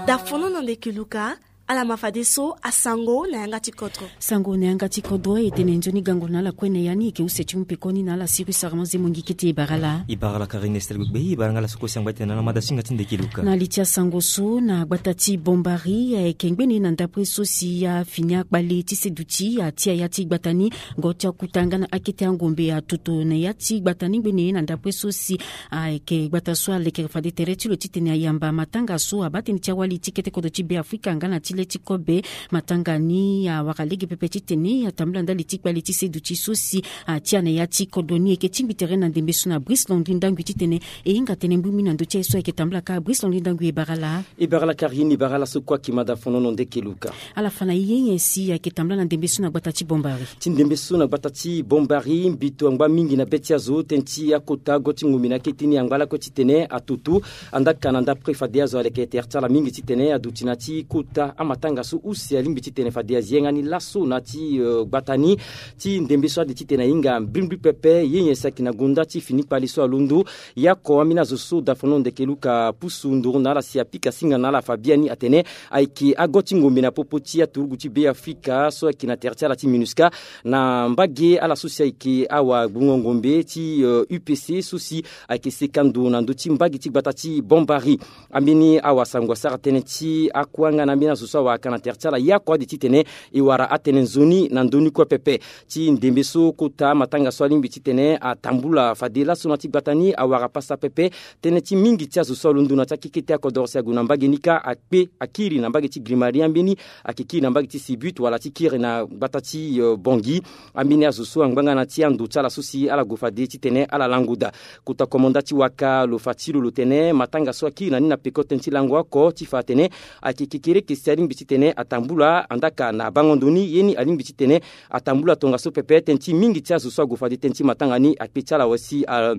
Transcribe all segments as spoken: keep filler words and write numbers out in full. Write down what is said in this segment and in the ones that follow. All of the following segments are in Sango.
Dafono na ndeke luka. Ala ma fadeso asango na yanga ti kodro. Sango na yanga ti kodro e tene nzoni gango na ala kue na ya ni e ke use ti mu pekoni na ala siri usara mo ze mongi kete e bara ala. E bara ala Karine Estel Gbegbe, e bara nga ala so kosi angba ti tene na ala mada singa ti ndeke luka. Na li ti asango so na gbata ti Bombari, e ke ngbene na ndapre so si afini akpale ti seduti atia ya ti gbata ni. Ngo ti akuta nga na akete angombe atoto na ya ti gbata ni ngbene na ndapre so si ayeke gbata so alekere fade tere ti lo titene ayamba matanga so abaa tënë ti awali ti kete kodro ti Beafrika nga na ti le ti kobe. Matanga ni awara lege pepe titene atambula ndali ti kpale ti seduti so si atia na ya ti kodro ni. E ke tingbi tere na ndembe so na Brice Landry Ndangui titene e hinga tënë mbumbi na ndö ti aye so ayeke tambula kâ. Brice Landry Ndangui, e bara ala. E bara ala Karine, e bara ala so kue ayeke mada fonono ndeke luka. Ala fa na e ye nyen si ayeke tambula na ndembe so na gbata ti Bombari? Ti ndembe so na gbata ti Bombari, mbito angba mingi na be ti azo, tënë ti akota go ti ngombe na akete ni angba lakue titene atutu. Andaka na ndapre fade azo aleke tere ti ala mingi titene aduti na ti kota amatanga so use alingbi titene fade azi yanga ni laso na ti, eh, gbata ni. Ti ndembe so ade titene ahinga mbrimbri pepe, ye nyen si ayeke na gonda ti fini kpale so alondo. Yako ambeni azo so dafono ndeke luka pusu nduru na ala si apika singa na ala fa biani atene ayeke ago ti ngombe na popo ti aturugu ti Beafrika so ayeke na tere ti ala ti MINUSCA, na mbage ala so si ayeke awagbungo ngombe ti, eh, U P C so si ayeke seka ndo na ndö ti mbage ti gbata ti Bombari. Ambeni awasango asara tënë ti akua nga na ambeni azo so awara ka na tere ti ala yako ade titene e wara atënë nzoni na ndö ni kue pepe. Ti ndembe so kota amatanga so alingbi titene atambula fade laso na ti gbata ni awara pasa pepe. Tënë ti mingi ti azo so alondo na ti akekete akodoro si ague na mbage ni kâ akpe, akiri na mbage ti Grimari, ambeni ayeke kiri na mbage ti Sibut wala ti kiri na gbata ti, eh, Bangui. Ambeni azo so angba nga na ti ando ti ala so si ala gue fade titene ala lango daa. Kota komanda ti waka lo fa ti lo lo tene matanga so akiri na ni na peko tënë ti lango oko ti fa atene ayeke kekereke si alingbi titene atambula, andaka na bango ndo ni ye ni alingbi titene atambula tongaso pepe. Tënë ti mingi ti azo so ague fade tënë ti matanga ni akpe ti ala wala si a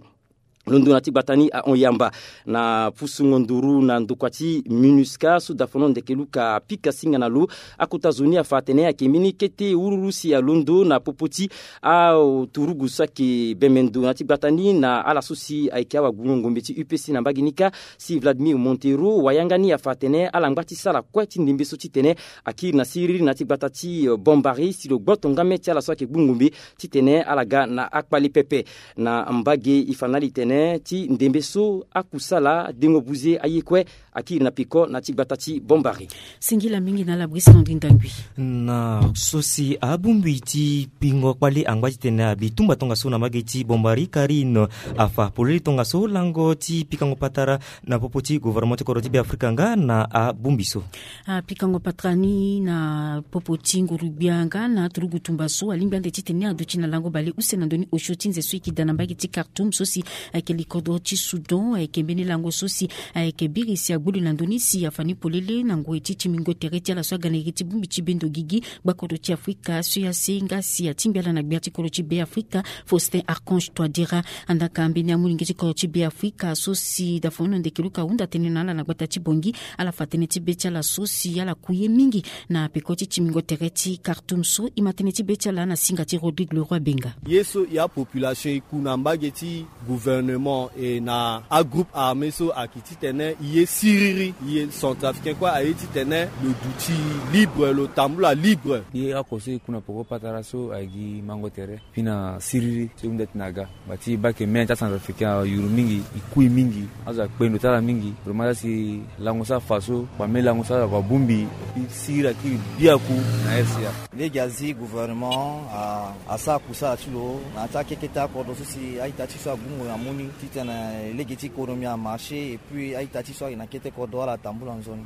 londo na ti gbata ni ahon yamba. Na pusungo nduru na ndokua ti MINUSCA so dafono ndeke luka apika singa na lo. Akota zo ni afa atene ayeke mbeni kete ururu si alondo na popo ti aturugu so ayeke bembe ndo na ti gbata ni na ala so si ayeke awagbungo ngombe ti U P C na mbage ni kâ, si Vladimir Montero. Wayanga ni afa atene ala ngba ti sara kue ti ndembe so titene akiri na siriri na ti gbata ti, eh, Bombari si lo gboto ngame ti ala so ayeke gbu ngombe titene ala ga na akpale pepe. Na mbage e fa na ala e tene ti ndembe so akusala dengo buze aye kue akiri na peko na ti gbata ti Bombari. Singila mingi na ala Brice Landry Ndangui. Na so si abongbi ti pingo kpale angba titene abi tumba tongaso na mbage ti Bombari, Karine afa polele tongaso lango ti pikango patara na popo ti gouvernement ti kodro ti Beafrika nga na abongbi so. Apikango patara ni na popo ti nguru-gbia nga na aturugu tumba so alingbi ande titene aduti na lango bale use na ndö ni osio ti nze so e yeke daa na mbage ti Khartoum so si ayeke li kodro ti Soudan. Ayeke mbeni lango so si ayeke biri si agbulu na ndö ni si afa ni polele na ngoi ti timingo tere ti ala so aga na iri ti bongbi ti bendo gigi gbakodro ti Afrika so ya se nga si atingbi ala na gbia ti kodro ti Beafrika, Faustin Archange Touadéra. Andaka mbeni amolenge ti kodro ti Beafrika so si dafono ndeke luka ahunda tënë na ala na gbata ti Bangui. Ala fa tënë ti be ti ala so si ala ku ye mingi na peko ti timingo tere ti Khartoum so. E ma tënë ti be ti ala na singa ti Rodrigue Leroy Benga. Ye so e apopulation e ku na mbage ti gouvernement e na agroupe armé so ayeke titene e ye siriri, e ye centrafricain kue aye titene lo duti libre, lo tambula libre. Ye oko so e ku na peko patara so ayeke gi mango tere. Fini na siriri so e hunda ti na ga. Ngba ti e baa eke mê na ti acentrafricain ayuru mingi, e kui mingi, azo akpe ndo ti ala mingi. Vraiment la si lango so afa so, kpame lango so azo ako abongbi, e siriri akiri biaku na R C A. Lege azi gouvernement a, asara kusala ti lo na ya ti akekete akodro so si a-ita ti so agbungo na mu ni titene lege ti économie amarché et puis a-ita ti so ayeke na kete kodro ala tambula nzoni.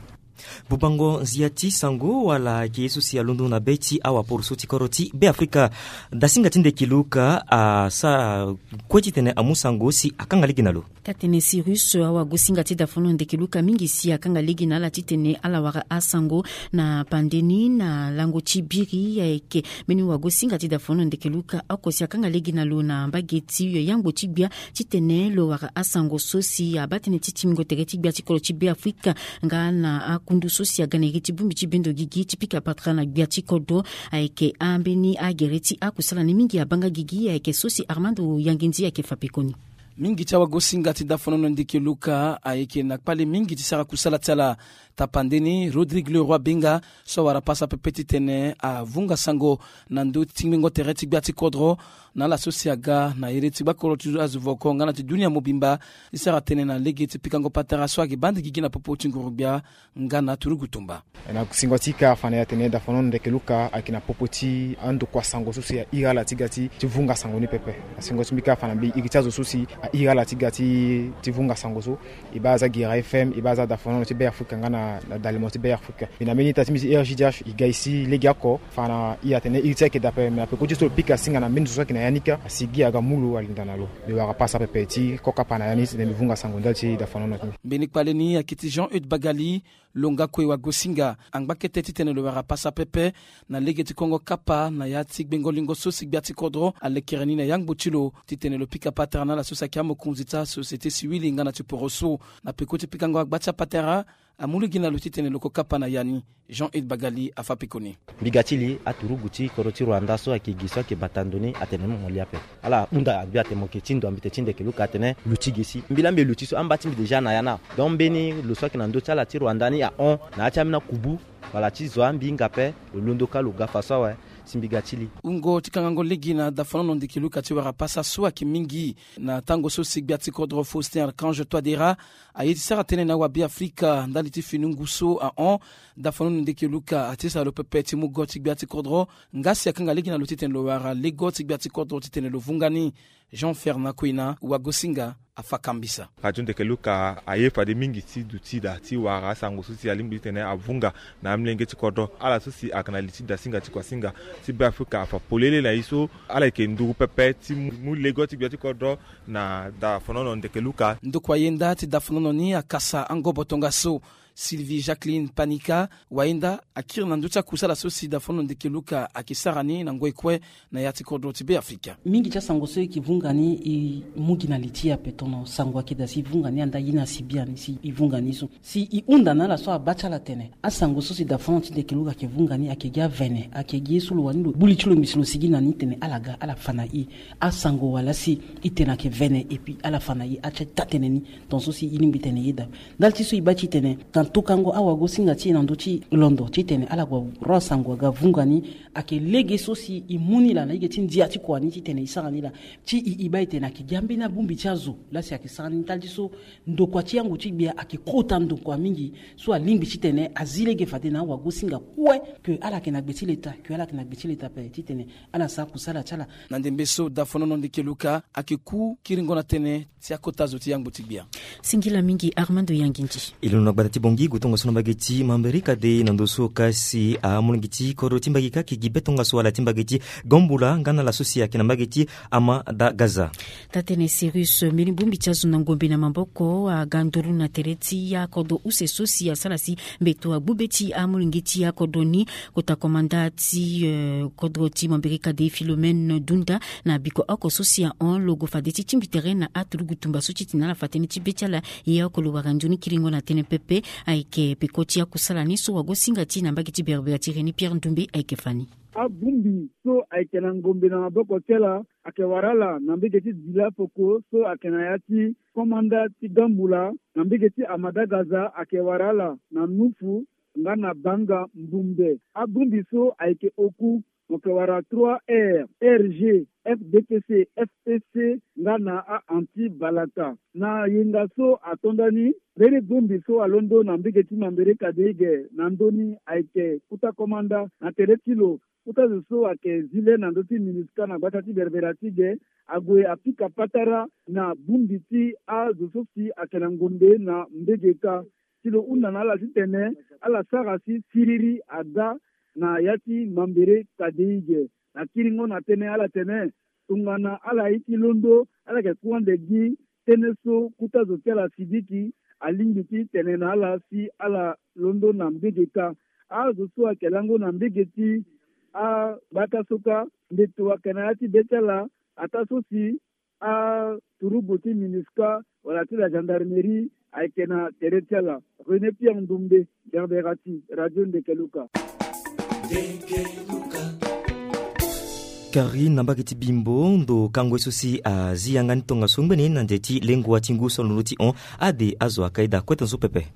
Bubango nzia ti sango wala ayeke ye so si alondo na be ti awaporoso ti kodro ti Beafrika. Dasinga ti ndeke luka asara kue titene amu sango si akanga lege na lo. Katene Cyrus, awagosinga ti dafono ndeke luka mingi si akanga lege na ala titene ala wara asango na pande ni na lango ti biri. Ayeke mbeni wagosinga ti dafono ndeke luka oko si akanga lege na lo na mbage ti yangbo ti gbia titene lo wara asango so si abaa tënë ti timingo tere ti gbia ti kodro ti Beafrika nga na akundu so si aga na iri ti bongbi ti bendo gigi ti pika patara na gbia ti kodro. Ayeke ambeni agere ti akusala ni mingi abaa nga gigi, ayeke so si Armando Yangindi ayeke fa pekoni. Mingi ti awagosinga ti dafonono ndeke luka ayeke na kpale mingi ti sara kusala ti ala. Tapande ni Rodrigue Leroy Benga so awara pasa pepe titene avunga sango na ndö ti tingbengo tere ti gbia ti kodro na ala so si aga na iri ti gbakoro ti azo voko nga na ti dunia mobimba ti sara tënë na lege ti pikango patara so ayeke baa nde gigi na popo ti nguru-gbia nga na turugu tumba. Na singo ti kâ fa na ya tene dafonono ndeke luka ayeke na popo ti andokua sango so si ahiri ala ti ga ti vunga sango ni pepe. Na singo ti mbi kâ fa na mbi iri ti azo so si ahiri ala ti ga ti vunga sango so, e baa aza Guéra F M, e baa aza dafonono ti Be Afrika nga na dalemo ti Be Afrika. Mbi na mbeni ita ti mbi ti R J D H e ga e si legeoko fa na e atene iri ti e ayeke daa ape. Me na peko ti so lo pika singa na mbeni zo so ayeke na ya ni kâ, asi gi aga mu lo alinda na lo. Mbi wara pasa pepe ti kokapa na ya ni titene mbi vunga sango ndali ti dafonono ti mbi. Mbeni kpale ni ayeke ti Jean Eude Bagali. Lo nga kue wagosinga angba kete titene lo wara pasa pepe na lege ti kongo kapa na ya ti gbengo lingo so si gbia ti kodro alekere ni na yangbo ti lo titene lo pika patara na ala so si ayeke amokonzi ti asociété civile nga na ti poroso. Na peko ti pikango agba ti apatara, amu lege na lo titene lo ko kapa na ya ni. Jean Eude Bagali afa pekoni. Mbi ga ti li aturugu ti kodro ti Rwanda so ayeke gi so ayeke bata ndo ni atene mo lia ape. Ala hunda agbi atene mo yeke ti ndo ambete ti ndeke luka atene luti ge si mbi laa mbi luti so amba ti mbi déjà na ya ni. Donc mbeni lo so ayeke na ndö ti ala ti Rwanda ni ahon na ya ti ambeni akubu wala ti zo ambi hinga ape. Lo londo kâ lo ga fa so awe. Si mbi ga ti li. Wungo ti kangango lege na dafonono ndeke luka ti wara pasa so ayeke mingi na tango so si gbia ti kodro Faustin Archange Touadéra aye ti sara tënë na awabe Afrika ndali ti fini ngu so ahon. Dafonono ndeke luka ati sara lo pepe ti mu go ti gbia ti kodro nga si akanga lege na lo titene lo wara lego ti gbia ti kodro titene lo vunga ni. Jean Fernand Koina, wagosinga, afa kambisa. Radio ndeke luka aye fade mingi ti duti daa ti wara asango so si alingbi titene avunga na amolenge ti kodro. Ala so si ayeke na li ti dasinga ti kuasinga ti Be Afrika afa polele na e so ala yeke nduru pepe ti mu lego ti gbia ti kodro na dafonono ndeke luka. Ndokua yenda ti dafonono ni akasa angobo tongaso. Sylvie Jacqueline Panika, wayenda, akiri na ndö ti akusala so si dafonono ndeke luka ayeke sara ni na ngoi kue na ya ti kodro ti Be Afrika. Mingi ti asango so e yeke vunga ni e mu gi na li ti e ape. Tono sango ayeke daa si e vunga ni anda ye ni asi biani si e vunga ni so si e hunda na ala so abaa ti ala tene asango so si dafonono ti ndeke luka ayeke vunga ni ayeke gi avene, ayeke gi ye so lo wani lo gbu li ti lo ngbi si lo sigi na ni tene ala ga ala fa na e asango wala si e tene ayeke vene epui ala fa na e ati taa-tënë ni. Tongaso si e lingbi tene e yeda ndali ti so e baa ti tene na tokango awagosinga ti e na ndö ti londo titene ala gue ro asango aga vunga ni. Ayeke lege so si e mu ni laa na lege ti ndia ti kua ni titene e sara ni laa ti e e baa e tene ayeke gi ambeni abongbi ti azo laa si ayeke sara ni ndali ti so ndokua ti yango ti gbia ayeke kota ndokua mingi so alingbi titene azi lege fade na awagosinga kue ke ala yeke na gbe ti leta ke ala yeke na gbe ti leta ape titene ala sara kusala ti ala. Na ndembe so dafonono ndeke luka ayeke ku kiringo na tënë ti akota zo ti yangbo ti gbia. Singila mingi Armando Yangindi. E londo na gbata ti Bangui gue tongaso na mbage ti Mambéré Kadé na ndo so ka si amolenge ti kodro ti mbage ka ayeke gi be tongaso ala ti mbage ti Gamboula nga na ala so si ayeke na mbage ti Amadagaza. Taa-tënë Cyrus, mbeni bongbi ti azo na ngombe na maboko aga nduru na tere ti akodro use so si asara si mbeto agbu be ti amolenge ti akodro ni. Kota komanda ti, eh, kodro ti Mambéré Kadé Philomène Dunda na biko oko so si ahon lo gue fade ti tingbi tere na aturugu tumba so ti tene ala fa tënë ti be ti ala. Ye oko lo wara nzoni kiringo na tënë pepe. Ayeke peko ti akusala ni so wagosinga ti e na mbage ti berbera ti René Pierre Ndoumbe ayeke fa ni. Abongbi so ayeke na ngombe na maboko ti ala ayeke wara ala na mbage ti Dila Foko so ayeke na ya ti komanda ti Gamboula, na mbage ti Amadagaza ayeke wara ala na Nufu nga na Banga Mbumbe. Abongbi so ayeke oku mo yeke wara trois R, R G, F D P C, F P C nga na a-anti balaka. Na yenga so ato ndani, mbeni bongbi so alondo na mbage ti Mambéré Kadé ge na ndö ni ayeke kota komanda na tere ti lo. Kota zo so ayeke zi le na ndö ti MINUSCA na gbata ti berbera ti ge ague apika patara na bongbi ti azo so si ayeke na ngombe na mbage kâ. Si lo hunda na ala titene ala sara si siriri aga na ya ti Mambéré Kadé ge. Na kiringo na tënë ala tene tongana ala ye ti londo ala yeke ku ande gi tënë so kota zo ti ala Sidiki alingbi ti tene na ala si ala londo na mbage kâ. Azo so ayeke lango na mbage ti agbata so kâ mbeto ayeke na ya ti be ti ala ataa so si aturugu ti MINUSCA wala ti la gendarmerie ayeke na tere ti ala. René Pierre Ndoumbe, Berbera ti Radio Ndeke Luka. Karine, na mbage ti Bimbo, ndo kango ye so si azi yanga ni tongaso ngbene na nze ti lengua ti ngu so alondo ti hon ade azo akai daa kue tongaso pepe.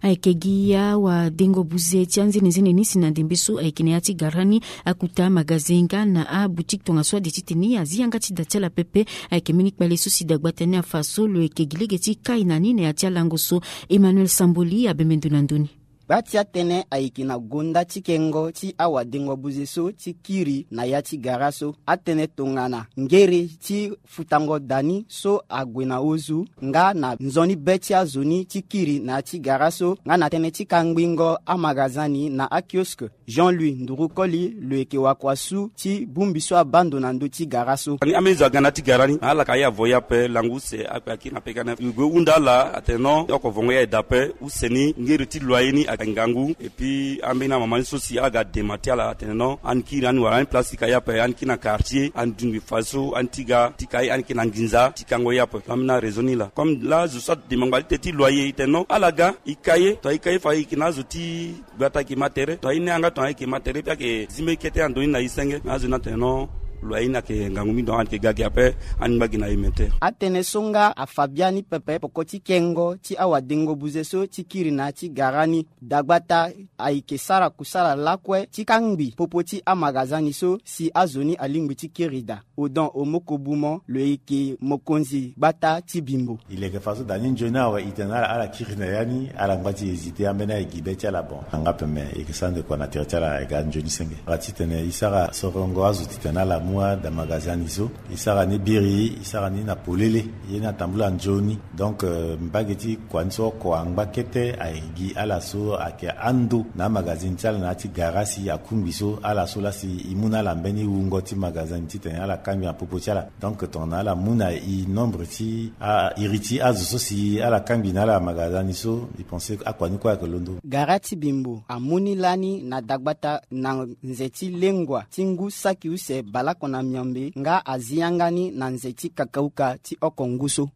Ayeke gi awadengo buze ti anzenenzene ni si na ndembe so ayeke na ya ti gara ni, akuta magazen nga na aboutique tongaso ade titene azi yanga ti da ti ala pepe. Ayeke mbeni kpale so si dagbata ni afa so lo yeke gi lege ti kai na ni na ya ti alango so. Emmanuel Samboli abembe ndo na ndö ni. Gba ti atënë ayeke na gonda ti kengo ti awadengo buze so ti kiri na ya ti gara so. Atënë tongana ngere ti futango da ni so ague na ozu nga na nzoni be ti azo ni ti kiri na ya ti gara so nga na tënë ti kangbingo amagazani na akioske. Jean-Louis Nduru Koli lo yeke wakua su ti bongbi so abaa ndo na ndö ti gara so. Ani ambeni zo aga na ya ti gara ni na ala ka ye avoye ape lango use akpe akiri na peka ni ape. Lo gue hunda ala atene non oko vongo ye aye daa ape. Use ni ngeri ti loyer ni ayeke ngangu. Epui ambeni amama ni so si ala ga dema ti ala atene non ani kiri ani wara ani place ti ka ye ape ani kiri na quartier ani dungbi fadeso ani ti ga ti ka ye ani kiri na nginza ti kango ye ape. Ambeni araison ni laa comme laa zo so adema ngba ti te ti loyer e tene non ala ga e ka ye tongana e ka ye fa e yeke na azo ti gbata ayeke ma tere tongana e ni yanga tongana ayeke ma tere mbi ayeke zi mbeni kete na ndo ni na e senge na azo ni atene non. Lo aye ni ayeke ngangu mingi donc ayeke ga gi ape. Ani ngba gi na e mete. Atënë so nga afa biani pepe peko ti kengo ti awadengo buze so ti kiri na ya ti gara ni. Dagbata ayeke sara kusala lakue ti kangbi popo ti amagazani so si azo ni alingbi ti kiri daa. Odon Omoko Bumo lo yeke mokonzi gbata ti Bimbo. E leke faso da ni nzoni awe e tene na ala ala kiri na ya ni ala ngba ti hésiter ambeni aye gi be ti ala bon. Anga peme e yeke sara ndekua na tere ti ala e ga nzoni senge. Ala titene e sara sorongo azo titene ala mu ada magazani so. E sara ni biri e sara ni na polele. Ye ni atambula nzoni. Donc mbage ti kua ni so oko angba kete aye gi ala so ayeke ando na amagazini ti ala na ya ti gara si akungbi so ala so laa si e mu na ala mbeni wungo ti magazini titene ala kangbi na popo ti ala. Donc tongana ala mu na e nombre ti a iri ti azo so si ala kangbi na ala magazini so e pense akua ni kue ayeke londo. Gara ti Bimbo amu ni lani na dagbata na nze ti lengua ti ngu saki use baleoko na miombe nga azi yanga ni na nze ti kakauka ti oko ngu so.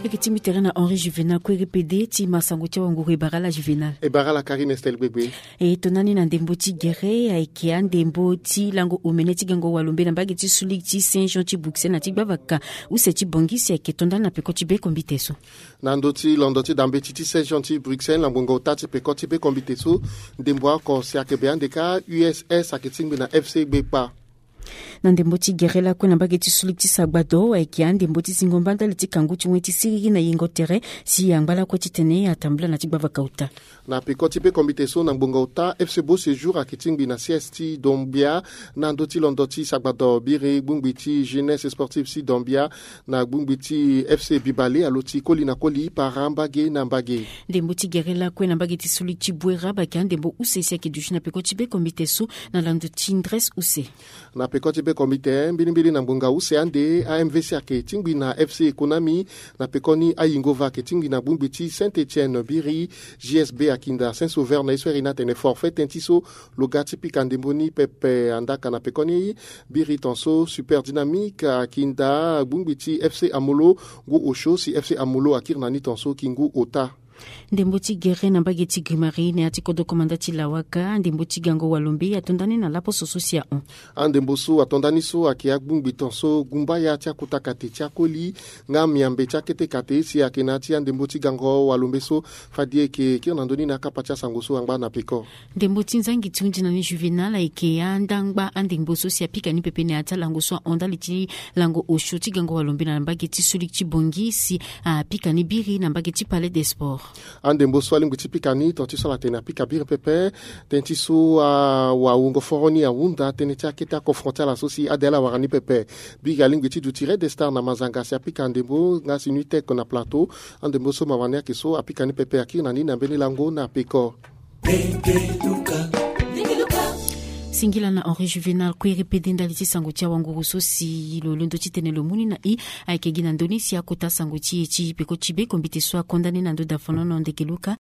Eke ti mbi tere na Henri Juvenal kue répété ti ma sango ti awanguru e bara ala Juvenal. E bara ala Karine Estelle Gbegbe. E tongana ni na ndembo ti gere ayeke andembo ti lango omene ti gango walombe na mbage ti sulik ti Saint Jean ti Bruxelles na ti gbavaka use ti Bangui si ayeke tongana ni na peko ti be kombite so. Na ndö ti londo ti dambeti ti Saint Jean ti Bruxelles na ngbonga ota ti peko ti be kombite so ndembo oko si ayeke be ande kâ U S S ayeke tingbi na F C Gbekpa. Na ndembo ti gere lakue na mbage ti sulik ti sagbado ayeke andembo ti zingo mba ndali ti kangu ti wen ti siriri na yengo tere si angba lakue titene atambula na ti gbavaka ota. Na peko ti be kombite so na ngbonga ota F C Beau Séjour ayeke tingbi na siège ti Dombia. Na ndö ti londo ti sagbado biri gbungbi ti jeunesse sportive ti Dombia na gbungbi ti F C Bibale alo ti koli na koli para mbage na mbage. Ndembo ti gere lakue na mbage ti sulik ti Bouérab ayeke andembo use si ayeke duti na peko ti be kombite so na lando ti ndres use. Na peko ti be kombite mbilimbili na ngbonga use ande A M V C ayeke tingbi na F C Economie. Na pekoni ayingo va ayeke tingbi na gbungbi ti Saint Etienne biri J S B akinda Saint Sauveur na ye so iri ni atene forfait tënë ti so. Lo ga ti pika ndembo ni pepe andaka na pekoni biri tonso Super Dynamique akinda gbungbi ti F C Amolo ngu osio si F C Amolo akiri na ni tonso ki ngu ota. Ndembo ti gere na mbage ti Grimari na ya ti kodro komanda ti Lawaka ndembo ti gango walombe atonda ni na laposo so si ahon. Andembo so atonda ni so ayeke agbungbi tonso gumbaya ti akota kate ti akoli nga miambe ti akete kate si ayeke na ya ti andembo ti gango walombe so. Fadi eke kiri na ndö ni na akapa ti asango so angba na peko. Ndembo ti nzangi ti hunzi na ni Juvenal ayeke andangba andembo so si apika ni pepe na ya ti alango so ahon ndali ti lango osio ti gango walombe na mbage ti sulik ti Bangui si apika ni biri na mbage ti Palais des Sports. Andembo so alingbi ti pika ni tonga ti so ala tene apika biri pepe. Tënë ti so awawungo foro ni ahunda tënë ti akete aconfront ti ala so si ade ala wara ni pepe. Biri alingbi ti duti Red Star na Mazanga si apika ndembo nga si Nuitech na Plateau. Andembo so mawani ayeke so apika ni pepe akiri na ni na mbeni lango na peko. Singila na Henri Juvenal kue répété ndali ti sango ti awanguru so si lo londo titene lo mu ni na e. Ayeke gi na ndö ni si akota sango ti e ti peko ti be kombite so akonda ni na ndö dafonono ndeke luka.